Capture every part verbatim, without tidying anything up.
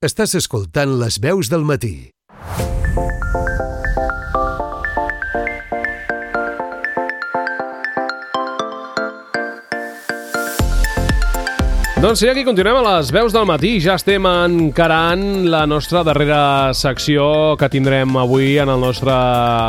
Estàs escoltant Les Veus del Matí. Doncs sí, aquí continuem a les veus del matí. Ja estem encarant la nostra darrera secció que tindrem avui en el nostre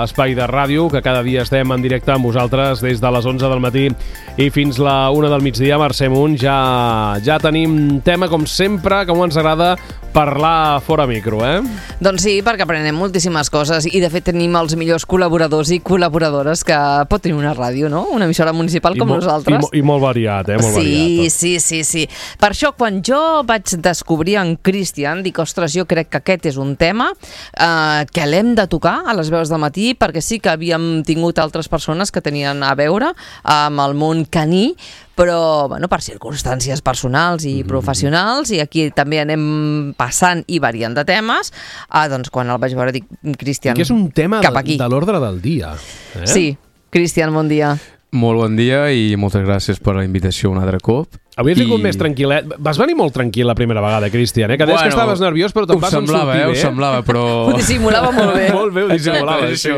espai de ràdio, que cada dia estem en directe amb vosaltres des de les onze del matí i fins la una del migdia. Mercè Munt, ja, ja tenim tema, com sempre, com ens agrada parlar fora micro, eh? Doncs sí, perquè aprenem moltíssimes coses i de fet tenim els millors col·laboradors i col·laboradores que pot tenir una ràdio, no? Una emissora municipal com I nosaltres. I, mo, I molt variat, eh? Molt sí, variat. Sí, sí, sí. Per això, quan jo vaig descobrir en Cristian, dic, ostres, jo crec que aquest és un tema eh, que l'hem de tocar a les veus del matí, perquè sí que havíem tingut altres persones que tenien a veure amb el món caní, però bueno, per circumstàncies personals i mm-hmm. professionals, i aquí també anem passant i variant de temes. Ah, doncs quan el vaig veure dic, Cristian, que és un tema cap de, aquí. de l'ordre del dia. Eh? Sí, Cristian, bon dia. Molt bon dia i moltes gràcies per la invitació un altre cop. Avui has vingut I... més tranquil·let. Vas venir molt tranquil la primera vegada, Cristian, eh? Que deies bueno, que estaves nerviós, però te'n vas semblava, sortir eh? bé. Ho semblava, però... Ho dissimulava molt bé. Molt bé ho dissimulava, sí.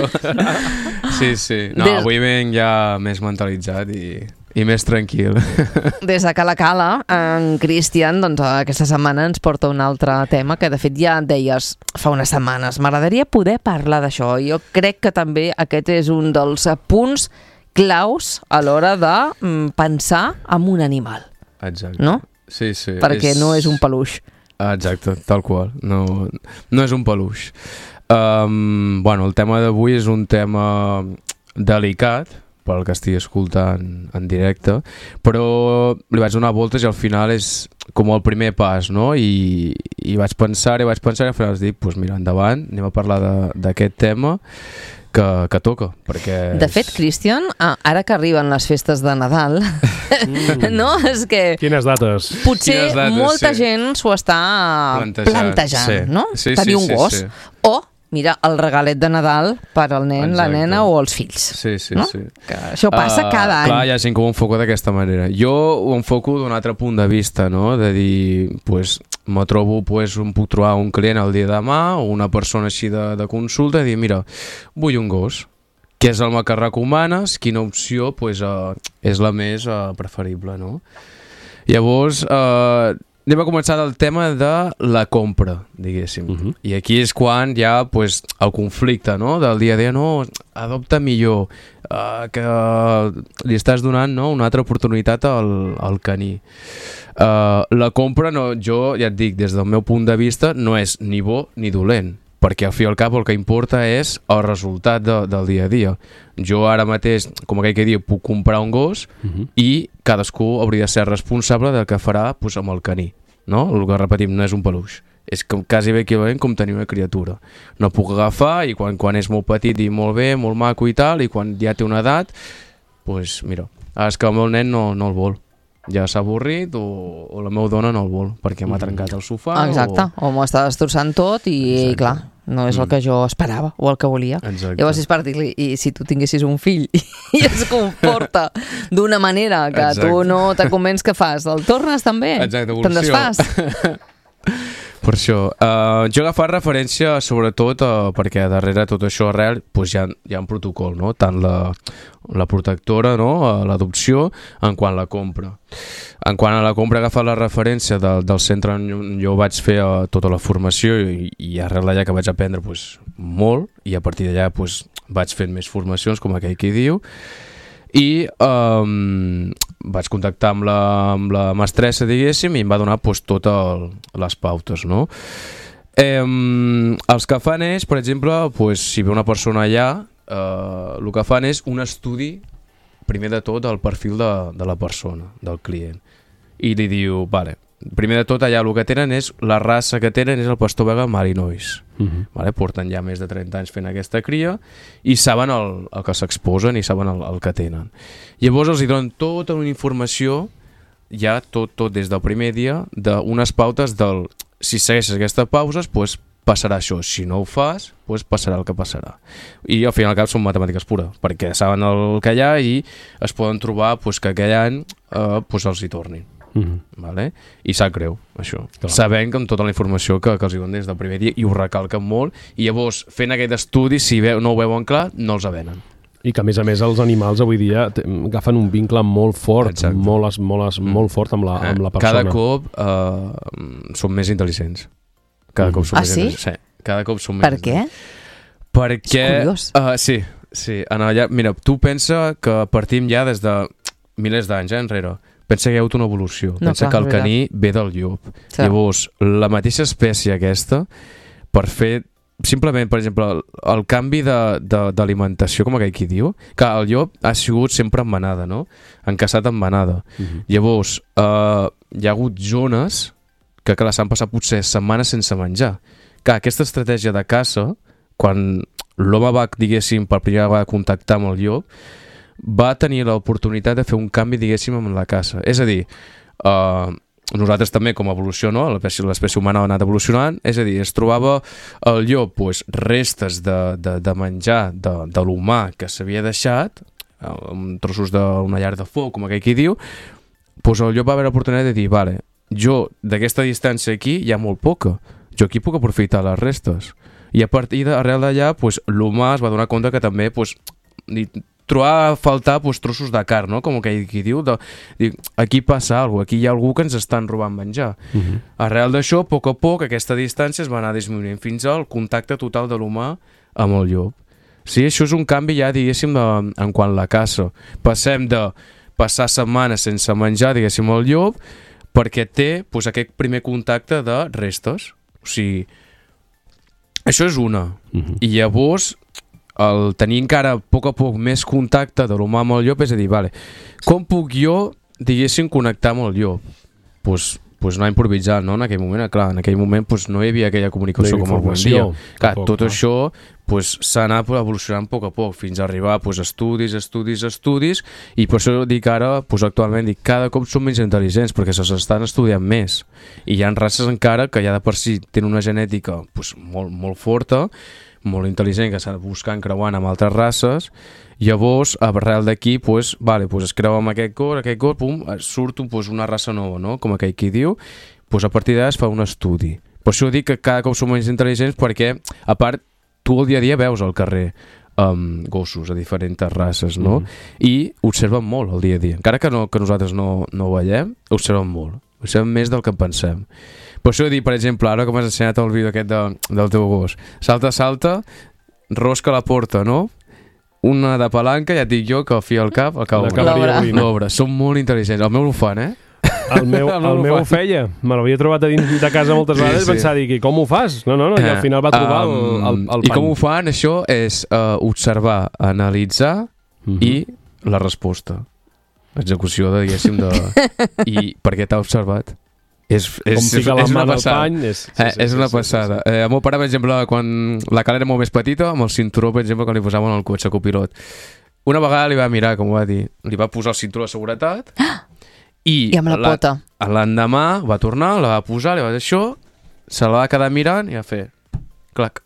Sí, sí. No, Des... avui venc ja més mentalitzat i, i més tranquil. Des de Cala Cala, en Cristian, doncs aquesta setmana ens porta un altre tema que de fet ja deies fa unes setmanes. M'agradaria poder parlar d'això. Jo crec que també aquest és un dels punts claus a l'hora de mm, pensar en un animal. Exacte. No? Sí, sí. Perquè és... no és un peluix. Exacte, tal qual. No, no és un peluix. Um, bueno, el tema d'avui és un tema delicat, pel que estic escoltant en directe, però li vaig donar voltes i al final és com el primer pas, no? I, i vaig pensar i vaig pensar i al final vaig dir, doncs pues mira, endavant, anem a parlar d'aquest tema que, que toca, perquè... De fet, Cristian, ara que arriben les festes de Nadal, mm. no? És que... Quines dates? Potser Quines dates, molta sí. gent s'ho està plantejant, plantejant sí. no? Sí, Tenir sí, un sí, gos. sí. O, mira, el regalet de Nadal per al nen, Exacte. la nena o els fills. Sí, sí, no? sí. Que això passa uh, cada any. Clar, hi ha gent que ho enfoca d'aquesta manera. Jo ho enfoco d'un altre punt de vista, no? De dir, pues, me trobo, pues, em puc trobar un client el dia de demà o una persona així de, de consulta i dir, mira, vull un gos. Què és el que recomanes? Quina opció pues, uh, és la més uh, preferible, no? Llavors, uh, anem a començar del tema de la compra, diguéssim. Uh-huh. I aquí és quan hi ha pues, el conflicte, no? Del dia a dia, no, adopta millor, uh, que li estàs donant, no, una altra oportunitat al, al caní. Uh, la compra, no, jo ja et dic, des del meu punt de vista, no és ni bo ni dolent, perquè al fi i al cap el que importa és el resultat de, del dia a dia. Jo ara mateix, com aquell que diu, puc comprar un gos uh-huh. i cadascú hauria de ser responsable del que farà pues, amb el caní. No? El que repetim, no és un peluix. És com, quasi bé equivalent com tenir una criatura. No puc agafar i quan, quan és molt petit i molt bé, molt maco i tal, i quan ja té una edat, doncs pues, mira, és que el meu nen no, no el vol. Ja s'ha avorrit o, o la meva dona no el vol perquè m'ha trencat el sofà. Exacte, o, o m'ho està destrossant tot i, i clar, no és el que jo esperava o el que volia. Exacte. Llavors és per dir-li, i si tu tinguessis un fill i es comporta d'una manera que Exacte. Tu no te convenç, què fas? El tornes també? Exacte, evolució. Te'n desfas? Per això, uh, jo he agafat referència sobretot uh, perquè darrere tot això arrel pues, hi, ha, hi ha un protocol, no? Tant la, la protectora, no? uh, l'adopció, en quant a la compra. En quant a la compra he agafat la referència de, del centre on jo vaig fer uh, tota la formació i, i arrel d'allà que vaig aprendre pues, molt i a partir d'allà pues, vaig fent més formacions com aquell que diu i um, vaig contactar amb la, amb la mestressa, diguéssim, i em va donar pues, totes les pautes, no? Eh, els que fan és, per exemple, pues, si ve una persona allà, eh, el que fan és un estudi, primer de tot, del perfil de, de la persona, del client. I li diu, vale, primer de tot allà el que tenen és, la raça que tenen és el pastor belga Malinois. Uh-huh. Vale? Porten ja més de trenta anys fent aquesta cria i saben el, el que s'exposen i saben el, el que tenen. Llavors els hi donen tota una informació, ja tot, tot des del primer dia, d'unes pautes del, si segueixes aquestes pauses, pues, passarà això. Si no ho fas, pues, passarà el que passarà. I al final al cap són matemàtiques pures, perquè saben el que hi ha i es poden trobar pues, que aquell any eh, pues, els hi tornin. Mm-hmm. Vale? I sap greu, això. Clar. Sabent que amb tota la informació que, que els diuen des del primer dia i ho recalquen molt, i llavors fent aquest estudi, si veu, no ho veuen clar, no els avenen. I que, a més a més, els animals avui dia t- agafen un vincle molt fort, Exacte. molt, es- molt, es- Mm. molt fort amb la, amb la persona. Cada cop uh, són més intel·ligents. Cada Mhm. cop són Ah, més sí? intel·ligents. Sí, cada cop són més Per què? Perquè... És curiós. Uh, sí, sí. En allà, mira, tu pensa que partim ja des de milers d'anys eh, enrere. Pensa que hi ha hagut una evolució. No, Pensa clar, que el és caní ve del llop. Sí. Llavors, la mateixa espècie aquesta, per fer simplement, per exemple, el, el canvi de- de- d'alimentació, com aquell qui diu, que el llop ha sigut sempre en manada, no? Encaçat en manada. Mhm. Llavors, eh, hi ha hagut zones que, clar, s'han passat potser setmanes sense menjar. Que aquesta estratègia de caça, quan l'home va, diguéssim, per primera vegada contactar amb el llop, va tenir l'oportunitat de fer un canvi, diguéssim, amb la caça. És a dir, eh, nosaltres també, com a evolució, no? l'espècie l'espècie humana ha anat evolucionant, és a dir, es trobava el llop pues, restes de, de, de menjar de, de l'humà que s'havia deixat, amb trossos d'una llar de foc, com aquell qui diu, pues el llop va haver l'oportunitat de dir, vale, jo d'aquesta distància aquí hi ha molt poca, jo aquí puc aprofitar les restes. I a partir d'arrel d'allà, pues, l'humà es va donar compte que també pues, li trobava a faltar pues, trossos de carn, no? Com aquell qui diu, de, dir, aquí passa alguna cosa, aquí hi ha algú que ens estan robant menjar. Mhm. Arrel d'això, a poc a poc, aquesta distància es va anar disminuint fins al contacte total de l'humà amb el llop. Sí, això és un canvi ja, diguéssim, de, en quant a la caça. Passem de passar setmanes sense menjar, diguéssim, el llop, perquè té pues, aquest primer contacte de restes. O sigui, això és una. Mhm. I llavors, el tenir encara a poc a poc més contacte de l'humà amb el llop, és a dir, vale, com puc jo, diguéssim, connectar amb el llop? Doncs pues, pues anar improvisant, no? En aquell moment, clar, en aquell moment pues, no hi havia aquella comunicació No hi com avui en dia. informació, Clar, tampoc, tot no? això pues, s'ha anat evolucionant a poc a poc fins a arribar pues, a estudis, estudis, estudis, i per això dic ara, pues, actualment, dic, cada cop són menys intel·ligents perquè se s'estan estudiant més. I hi ha races encara que ja de per si tenen una genètica pues, molt, molt forta, molt intel·ligent, que s'ha de buscar creuant amb altres races. Llavors, arrel d'aquí, pues, vale, pues, es creua amb aquest cor, aquest cor, pum, surt pues, una raça nova, no? Com aquell qui diu, pues, a partir d'ara es fa un estudi. Per això dic que cada cop som menys intel·ligents perquè, a part, tu el dia a dia veus al carrer um, gossos de diferents races, no? Mhm. I observen molt el dia a dia. Encara que, no, que nosaltres no, no ho veiem, observen molt. Observen més del que pensem. Per això dic, per exemple, ara que m'has ensenyat el vídeo aquest de, del teu gos, salta, salta, rosca la porta, no? Una de palanca, ja et dic jo, que al fi al cap, el cau. L'acabaria L'obra. obrint. L'obra. Són molt intel·ligents. El meu ho fan, eh? El meu, El meu el ho meu fa. ho feia. Me l'havia trobat a dins de casa moltes Sí, vegades sí. i pensava, dic, i com ho fas? No, no, no, i al final va trobar el, el, el I pany. com ho fan, això, és uh, observar, analitzar Mhm. i la resposta. Execució, de, diguéssim, de... I per què t'ha observat? És, és, Com fica la és mà una del passada. pany. És, sí, Eh, sí, és sí, una sí, sí, passada. Eh, el meu pare, per exemple, quan la cara era molt més petita, amb el cinturó, per exemple, quan li posaven al cotxe copilot, una vegada li va mirar, com ho va dir, li va posar el cinturó de seguretat i, I amb la pota. l'endemà va tornar, la va posar, li va dir això, se la va quedar mirant i va fer clac.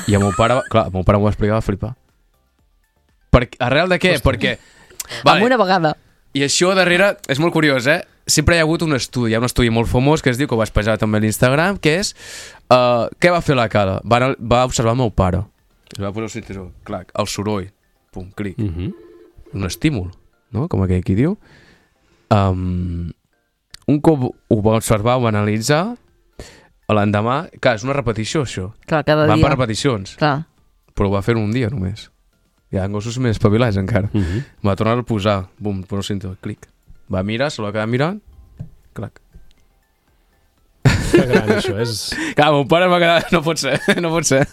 I el meu pare, va- clar, el meu pare m'ho va explicar, va flipar. Per, arrel de què? Ostres. Perquè... Amb una vegada. I això darrere és molt curiós, eh? Sempre hi ha hagut un estudi, hi ha un estudi molt famós que es diu, que ho vaig penjar també a l'Instagram, que és uh, què va fer la cara? Va, anar- va observar el meu pare. Li va posar el cinturó, clac, el soroll, pum, clic. Mhm. Un estímul, no? Com aquell qui diu. Um, un cop ho va observar, ho va analitzar, l'endemà... Clar, és una repetició, això. Clar, cada Van dia. per repeticions, Clar. però ho va fer en un dia només. Hi ha gossos més espavilats encara. Mhm. Va tornar a posar, bum, posa el cinturó, clic. Va mirar, se l'ha quedat mirant, clac. Que gran, això és... Clar, mon pare va quedar, no pot ser, no pot ser.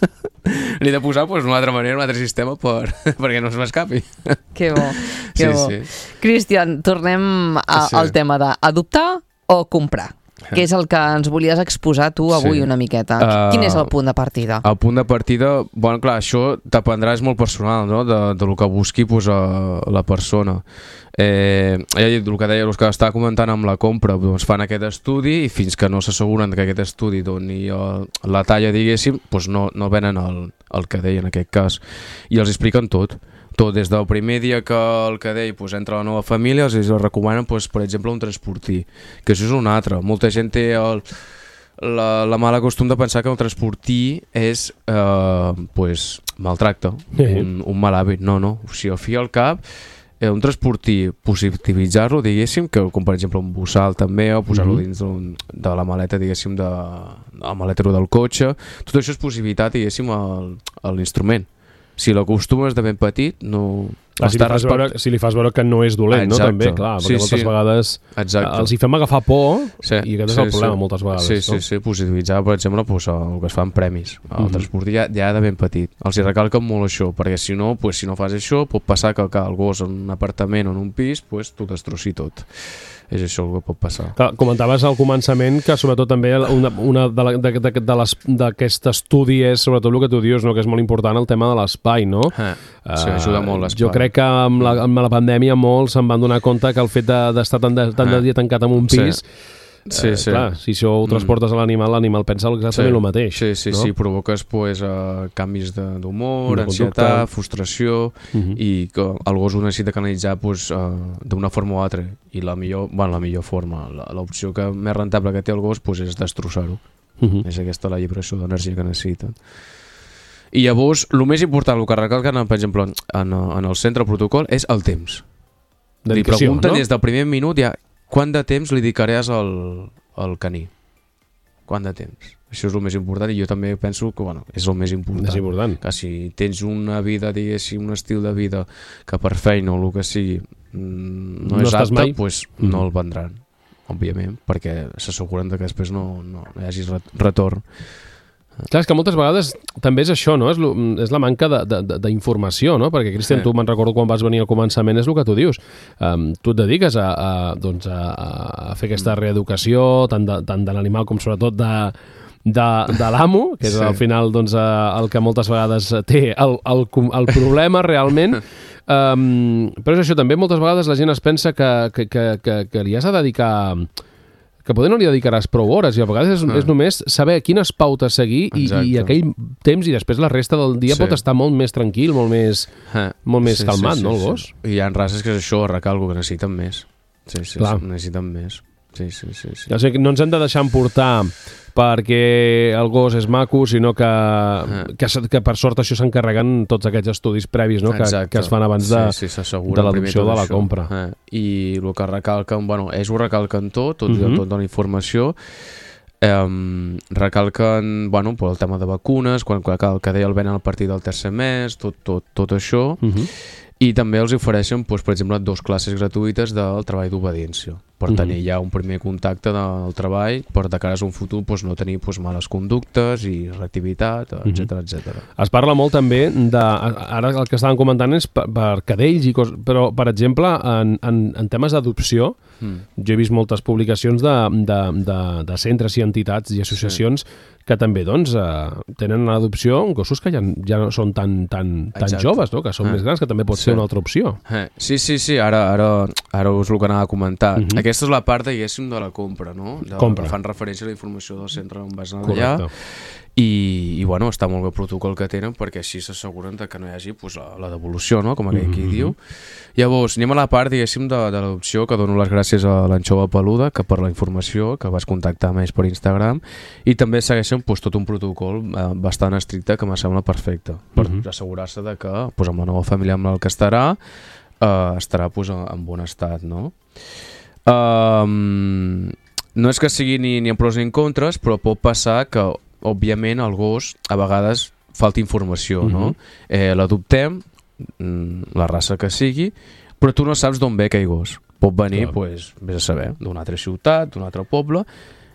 Li he de posar pues, una altra manera, un altre sistema per, perquè no se m'escapi. Que bo, que Sí, bo. sí. Cristian, tornem a, Sí. al tema d'adoptar o comprar, que és el que ens volies exposar tu avui Sí. una miqueta. Uh, Quin és el punt de partida? El punt de partida, bueno, clar, això dependrà, és molt personal, no?, de, de lo que busqui pues, a, la persona. Eh, ja he dit, el que deia, el que estava comentant amb la compra, doncs fan aquest estudi i fins que no s'asseguren que aquest estudi doni el, la talla, diguéssim, doncs no, no venen el, el que deia en aquest cas. I els expliquen tot. tot des del primer dia que el cadell pues, entra a la nova família, els recomanen, pues, per exemple, un transportí, que això és un altre. Molta gent té el, la, la mala costum de pensar que el transportí és eh, pues, maltracte, Sí. un, un mal hàbit. No, no, o sigui, al fi i al cap, eh, un transportí, positivitzar-lo, diguéssim, que com per exemple un bussal també, o posar-lo Mhm. dins d'un- de la maleta, diguéssim, de, del maletero del cotxe, tot això és positivitat, diguéssim, al- a l'instrument. Si l'acostumes de ben petit, no... Clar, si, li està fas respect- veure, si li fas veure que no és dolent, no? Exacte. També, clar, perquè Sí, moltes sí. vegades Exacte. els hi fem agafar por Sí, i aquest és sí, el problema sí. moltes vegades. Sí, sí, no? sí, positivitzar, per exemple, pues, el que es fa en premis. El Mhm. transport ja, ja de ben petit. Els hi recalquen molt això, perquè si no, pues, si no fas això, pot passar que, que el gos en un apartament o en un pis pues, t'ho destrossi tot. És això el que pot passar. Clar, comentaves al començament que sobretot també una, una de, la, de, de, de les- d'aquest estudi és sobretot el que tu dius, no? Que és molt important el tema de l'espai, no? Eh, sí, ajuda molt l'espai. Jo crec que amb la, amb la pandèmia molts se'n van donar compte que el fet de- d'estar tant de, tant de Eh. dia tancat en un Sí. pis, Sí, eh, sí. clar, si això ho transportes a l'animal, l'animal pensa exactament el mateix. Sí, sí, no? sí, provoques pues, uh, canvis de- d'humor, De conducta. ansietat, frustració, Mhm. i que el gos ho necessita canalitzar pues, uh, d'una forma o altra, i la millor, bueno, la millor forma, la- l'opció que més rentable que té el gos pues, és destrossar-ho. Mhm. És aquesta la llibració d'energia que necessiten. I llavors, el més important, el que recalquen, per exemple, en, en el centre protocol, és el temps. Li Dedicació, pregunten no? des del primer minut ja quant de temps li dedicaràs al, al caní. Quant de temps. Això és el més important, i jo també penso que bueno, és el més important. És important. Que si tens una vida, diguéssim, un estil de vida que per feina o el que sigui mm, no, No és estàs apte, mai? pues, Mhm. no el vendran, òbviament, perquè s'asseguren de que després no, no hi hagi ret- retorn. Clar, és que moltes vegades també és això, no? És, lo, és la manca de- de- de- d'informació, no? Perquè, Cristian, Sí. tu me'n recordo quan vas venir al començament, és el que tu dius. Um, tu et dediques a, a, doncs a, a fer aquesta Mm. reeducació, tant de, tant de l'animal com sobretot de, de, de l'amo, que és Sí. al final doncs, eh, el que moltes vegades té el, el, com- el problema realment. Um, però és això, també moltes vegades la gent es pensa que, que, que, que, que li has de dedicar... que poder no li dedicaràs prou hores i a vegades és, Ah. és només saber quines pautes seguir i, Exacte. i aquell temps i després la resta del dia Sí. pot estar molt més tranquil, molt més, Eh, molt més calmat, no, el gos? Sí. I hi ha races que és això, recalco, que necessiten més. Sí, sí, Clar. sí, necessiten més. Sí, sí, sí. sí. O sigui, no ens hem de deixar emportar perquè el gos és maco, sinó que, que, s- que per sort això s'encarreguen tots aquests estudis previs, no? que, Exacte. que es fan abans de, sí, sí, s'asseguren de primer l'adopció tot de la això. compra. Eh, I el que recalquen, bueno, ells ho recalquen tot, tot, Mhm. tot de la informació, eh, recalquen, bueno, per el tema de vacunes, quan, quan el que deia el venen a partir del tercer mes, tot, tot, tot això, Uh -huh. i també els ofereixen, doncs, per exemple, dos classes gratuïtes del treball d'obediència, per Mhm. tenir ja un primer contacte del treball, per de cara a un futur doncs, no tenir doncs, males conductes i reactivitat, etcètera, etcètera. Es parla molt també de... Ara el que estàvem comentant és per, per cadells, i cos, però, per exemple, en, en, en temes d'adopció, Mm. jo he vist moltes publicacions de, de, de, de centres i entitats i associacions sí. que també doncs, eh, tenen en adopció gossos que ja, ja no són tan, tan, tan Exacte. joves, no? Que són Ah. més grans, que també pot Sí. ser una altra opció. Eh, sí, sí, sí, ara, ara, ara us el que anava a comentar. Mhm. Aquesta és la part, diguéssim, de la compra, no? De, Compra. que fan referència a la informació del centre on vas anar allà. Correcte. I, i bueno, està molt bé el protocol que tenen perquè així s'asseguren de que no hi hagi pues, la, la devolució, no? Com aquell qui Mhm. diu. Llavors, anem a la part, diguéssim, de, de l'adopció, que dono les gràcies a l'Anxova Peluda, que per la informació, que vas contactar amb ells per Instagram, i també segueixen pues, tot un protocol eh, bastant estricte que me sembla perfecte, per Mhm. assegurar-se de que pues, amb la nova família amb la que estarà, eh, estarà pues, en, en bon estat, no? Um, no és que sigui ni, ni en pros ni en contres, però pot passar que, òbviament, el gos a vegades falta informació, Mhm. no? Eh, l'adoptem, mm, la raça que sigui, però tu no saps d'on ve aquell gos. Pot venir, Clar. pues, vés a saber, d'una altra ciutat, d'un altre poble.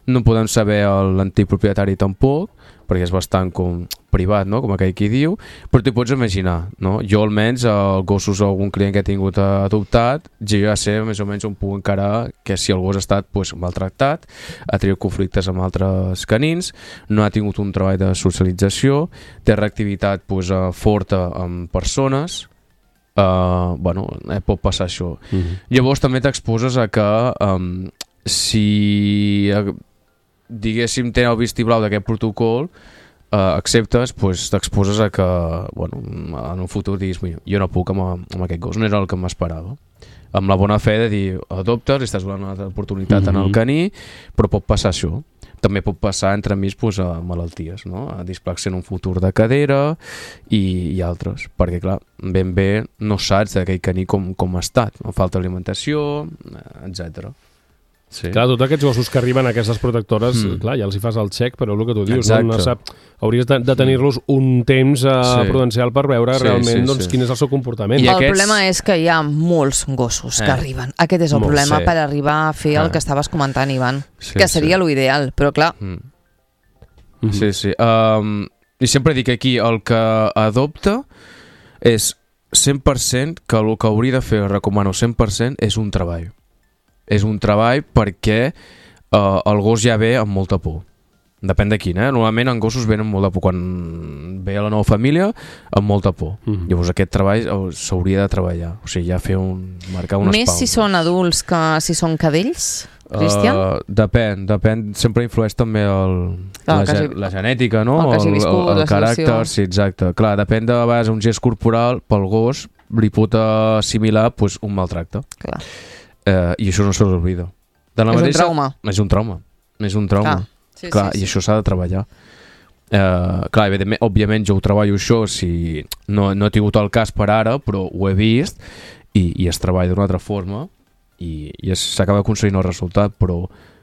No podem saber l'antic propietari tampoc, perquè és bastant com privat, no? Com aquell qui diu, però t'hi pots imaginar, no? Jo almenys, els gossos o algun client que he tingut adoptat, jo ja sé més o menys on puc encarar que si el gos ha estat pues, maltractat, ha tingut conflictes amb altres canins, no ha tingut un treball de socialització, té reactivitat pues, forta amb persones, uh, bueno, eh, pot passar això. Mhm. Llavors també t'exposes a que um, si eh, diguéssim té el vistiplau d'aquest protocol, uh, acceptes, pues, t'exposes a que bueno, en un futur diguis jo no puc amb, amb aquest gos, no era el que m'esperava. Amb la bona fe de dir adoptes, li estàs donant una altra oportunitat mm-hmm. en el caní, però pot passar això. També pot passar entremig pues, a malalties, no? A displaxia en un futur de cadera i, i altres, perquè clar, ben bé no saps d'aquell caní com, com ha estat, no? Falta alimentació, etcètera. Sí. Clar, tots aquests gossos que arriben a aquestes protectores, mm. clar, ja els hi fas el xec, però el que tu dius, no? No sap, hauries de, de tenir-los un temps uh, sí. prudencial per veure sí, realment sí, doncs, sí. quin és el seu comportament. I el aquests... problema és que hi ha molts gossos eh. que arriben. Aquest és el Molt problema sí. per arribar a fer eh. el que estaves comentant, Ivan, sí, que seria sí. l'ideal, però clar... Mm. Mm-hmm. Sí, sí. Um, I sempre dic aquí, el que adopta és cent per cent que el que hauria de fer, recomano cent per cent, és un treball. És un treball perquè uh, el gos ja ve amb molta por. Depèn de quin, eh? Normalment en gossos venen amb molta por. Quan ve a la nova família, amb molta por. Mm-hmm. Llavors aquest treball s'hauria de treballar. O sigui, ja fer un... marcar unes Més pauses. si són adults que si són cadells, Cristian? Uh, depèn, depèn. Sempre influeix també el, la, la, hagi, la genètica, no? El, el, viscut, el, el caràcter, sí, exacte. Clar, depèn de vegades un gest corporal, pel gos li pot assimilar pues, un maltracte. Clar. Uh, i això no se l'oblida. És mateixa, un trauma. És un trauma. És un trauma. Ah, sí, clar, sí, sí. I això s'ha de treballar. Uh, clar, evidentment, òbviament jo ho treballo això, si no, no he tingut el cas per ara, però ho he vist i, i es treballa d'una altra forma i, i s'acaba aconseguint el resultat, però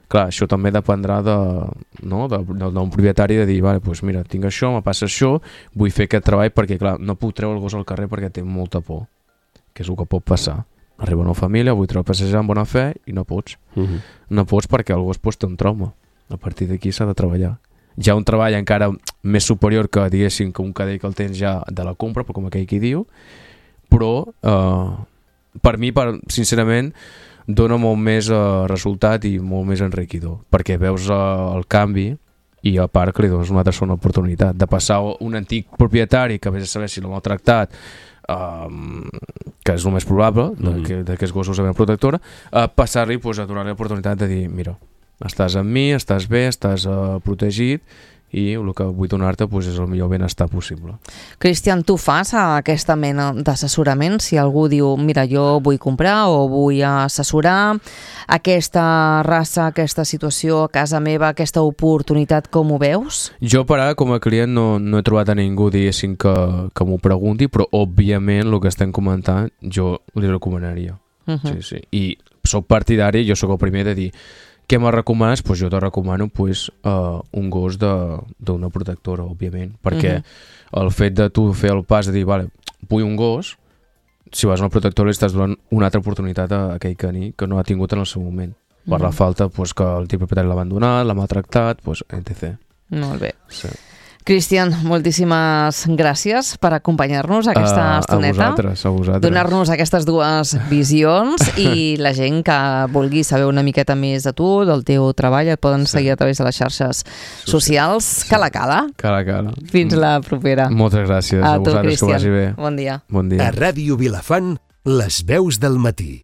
clar, això també dependrà de, no, de, de, d'un propietari de dir, vale, pues mira, tinc això, me passa això, vull fer aquest treball perquè clar, no puc treure el gos al carrer perquè té molta por, que és el que pot passar. Arriba una família, vull treure a passejar amb bona fe i no pots. Uh-huh. No pots perquè el gos pues, té un trauma. A partir d'aquí s'ha de treballar. Hi ha un treball encara més superior que diguéssim que un cadell que el tens ja de la compra, però com aquell qui diu, però eh, per mi, per, sincerament, dona molt més eh, resultat i molt més enriquidor, perquè veus eh, el canvi i a part que li dones una altra segona oportunitat de passar un antic propietari que vés a saber si l'ha maltractat, Um, que és el més probable mm-hmm. d'aquests gossos de protectora, uh, passar-li pues, a donar-li l'oportunitat de dir mira, estàs amb mi, estàs bé, estàs uh, protegit i el que vull donar-te pues, és el millor benestar possible. Cristian, tu fas aquesta mena d'assessorament? Si algú diu, mira, jo vull comprar o vull assessorar aquesta raça, aquesta situació a casa meva, aquesta oportunitat, com ho veus? Jo per ara com a client no, no he trobat a ningú diguéssim que, que m'ho pregunti, però òbviament el que estem comentant jo li recomanaria. Uh-huh. Sí, sí. I soc partidari, jo sóc el primer de dir què me recomanes? Pues jo te recomano pues, uh, un gos d'una protectora, òbviament, perquè uh-huh. el fet de tu fer el pas de dir, vale, vull un gos, si vas a una protectora li estàs donant una altra oportunitat a aquell caní que no ha tingut en el seu moment, uh-huh. per la falta pues, que el teu propietari l'ha abandonat, l'ha maltractat, pues, etcètera. Molt bé. Sí. Cristian, moltíssimes gràcies per acompanyar-nos aquesta uh, estoneta. A vosaltres, a vosaltres. Donar-nos aquestes dues visions i la gent que vulgui saber una miqueta més de tu, del teu treball, et poden sí. seguir a través de les xarxes socials. Sí. Cala, cala. Cala, cala. Fins la propera. Moltes gràcies a, a tu, vosaltres, Cristian. Que vagi bé. Bon dia. Bon dia. A Ràdio Vilafant, les veus del matí.